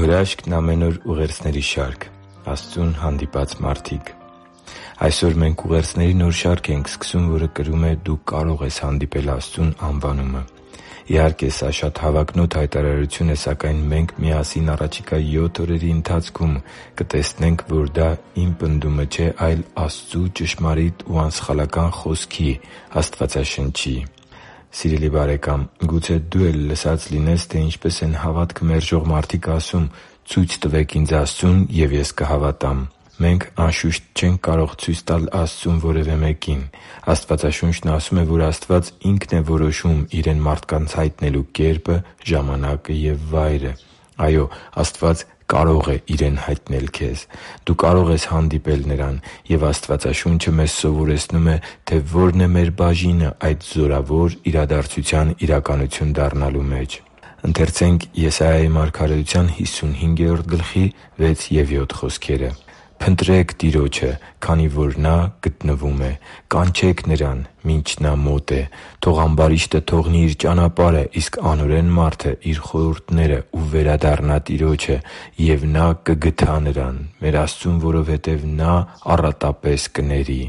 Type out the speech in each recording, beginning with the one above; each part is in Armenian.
հրաշքն ամեն օր ուղերձների շարք։ Աստծուն հանդիպած մարդիկ։ Այսօր մենք ուղերձների նոր շարք ենք սկսում, որը կրում է «Դու կարող ես հանդիպել Աստծուն» անվանումը։ Իհարկե, սա շատ հավակնոտ հայտարարություն է, սակայն մենք միասին առաջիկա 7 օրերի ընթացքում կտեսնենք, որ դա իմ պնդումը չէ, այլ Աստծու ճշմարիտ ու անսխալական Խոսքի՝ Աստվածաշնչի։ Սիրելի՛ բարեկամ, գուցե դու էլ լսած լինես, թե ինչպես են հավատքը մերժող մարդիկ ասում. «Ցույց տվեք ինձ Աստծուն, և ես կհավատամ»։ Մենք, անշուշտ, չենք կարող ցույց տալ Աստծուն որևէ մեկին։ Աստվածաշունչն ասում է, որ Աստված Ինքն է որոշում Իրեն մարդկանց հայտնելու կերպը, ժամանակը և վայրը։ Այո՛, Աստված կարող է Իրեն հայտնել քեզ։ Դու կարող ես հանդիպել Նրան, և Աստվածաշունչը մեզ սովորեցնում է, թե ո՛րն է մեր բաժինը այդ զորավոր իրադարձության իրականություն դառնալու մեջ։ «Փնտրեք Տիրոջը, քանի որ Նա գտնվում է, կանչե՛ք Նրան, մինչ Նա մոտ է։ Թող ամբարիշտը թողնի իր ճանապարհը, իսկ անօրեն մարդը՝ իր խորհուրդները, ու վերադառնա Տիրոջը, և Նա կգթա նրան, մեր Աստծուն, որովհետև Նա առատապես կների»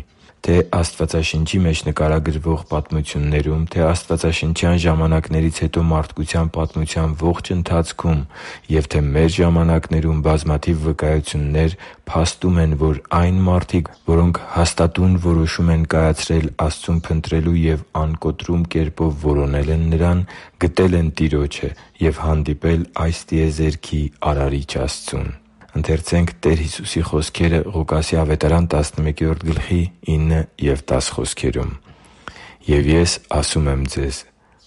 Թե՛ Աստվածաշնչի մեջ նկարագրվող պատմություններում, թե՛ աստվածաշնչյան ժամանակներից հետո մարդկության պատմության ողջ ընթացքում և թե մեր ժամանակներում բազմաթիվ վկայություններ փաստում են, որ այն մարդիկ, որոնք հաստատուն որոշում են կայացրել Աստծուն փնտրելու և անկոտրում կերպով որոնել են Նրան, գտել են Տիրոջը և հանդիպել այս տիեզերքի Արարիչ Աստծուն։ «Եվ ես ասում եմ ձեզ.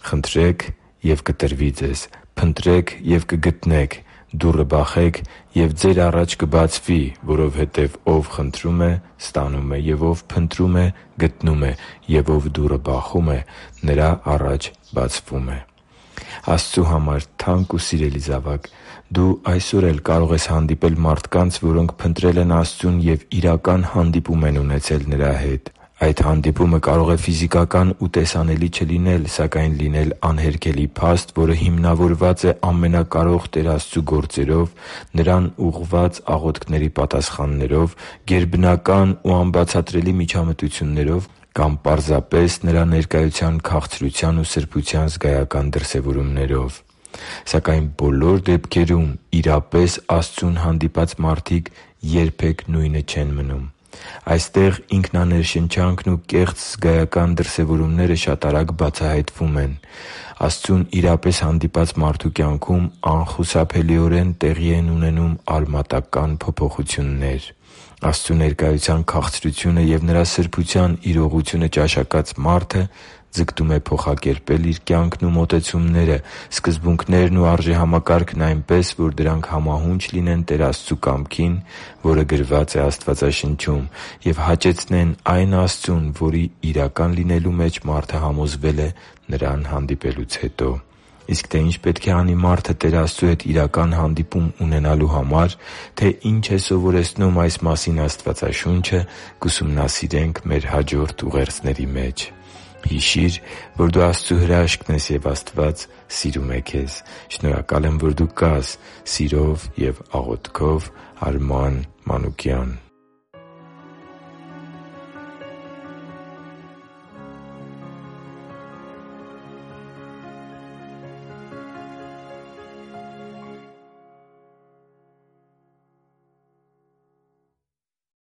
խնդրե՛ք, և կտրվի ձեզ, փնտրե՛ք և կգտնեք, դուռը բախե՛ք, և ձեր առաջ կբացվի, որովհետև ով խնդրում է, ստանում է, և ով փնտրում է, գտնում է, և ով դուռը բախում է, նրա առաջ բացվում է» Աստծու համար թանկ ու սիրելի՛ զավակ, դու այսօր էլ կարող ես հանդիպել մարդկանց, որոնք փնտրել են Աստծուն և իրական հանդիպում են ունեցել Նրա հետ։ Այդ հանդիպումը կարող է ֆիզիկական ու տեսանելի չլինել, սակայն լինել անհերքելի փաստ, որը հիմնավորված է Ամենակարող Տեր Աստծու գործերով, Նրան ուղղված աղոթքների պատասխաններով, գերբնական ու անբացատրելի միջամտություններով կամ պարզապես Նրա ներկայության քաղցրության ու սրբության զգայական դրսևորումներով։ Սակայն բոլոր դեպքերում իրապես Աստծուն հանդիպած մարդիկ երբեք նույնը չեն մնում։ Այստեղ ինքնաներշնչանքն ու կեղծ զգայական դրսևորումները շատ արագ բացահայտվում են։ Աստծուն իրապես հանդիպած մարդու կյանքում անխուսափելիորեն տեղի են ունենում արմատական փոփոխություններ։ Աստծու ներկայության քաղցրությունը և Նրա սրբության իրողությունը ճաշակած մարդը ձգտում է փոխակերպել իր կյանքն ու մոտեցումները, սկզբունքներն ու արժեհամակարգն այնպես, որ դրանք համահունչ լինեն Տեր Աստծու կամքին, որը գրված է Աստվածաշնչում, և հաճեցնեն այն Աստծուն, որի իրական լինելու մեջ մարդը համոզվել է Նրան հանդիպելուց հետո։ Իսկ թե ինչ պետք է անի մարդը Տեր Աստծու հետ իրական հանդիպում ունենալու համար, թե ինչ է սովորեցնում այս մասին Աստվածաշունչը, կուսումնասիրենք մեր հաջորդ ուղերձների մեջ։ Հիշի՛ր, որ դու Աստծո հրաշքն ես, և Աստված սիրում է քեզ։ Շնորհակալ եմ, որ դու կա՛ս։ Սիրով և աղոթքով, Արման Մանուկյան։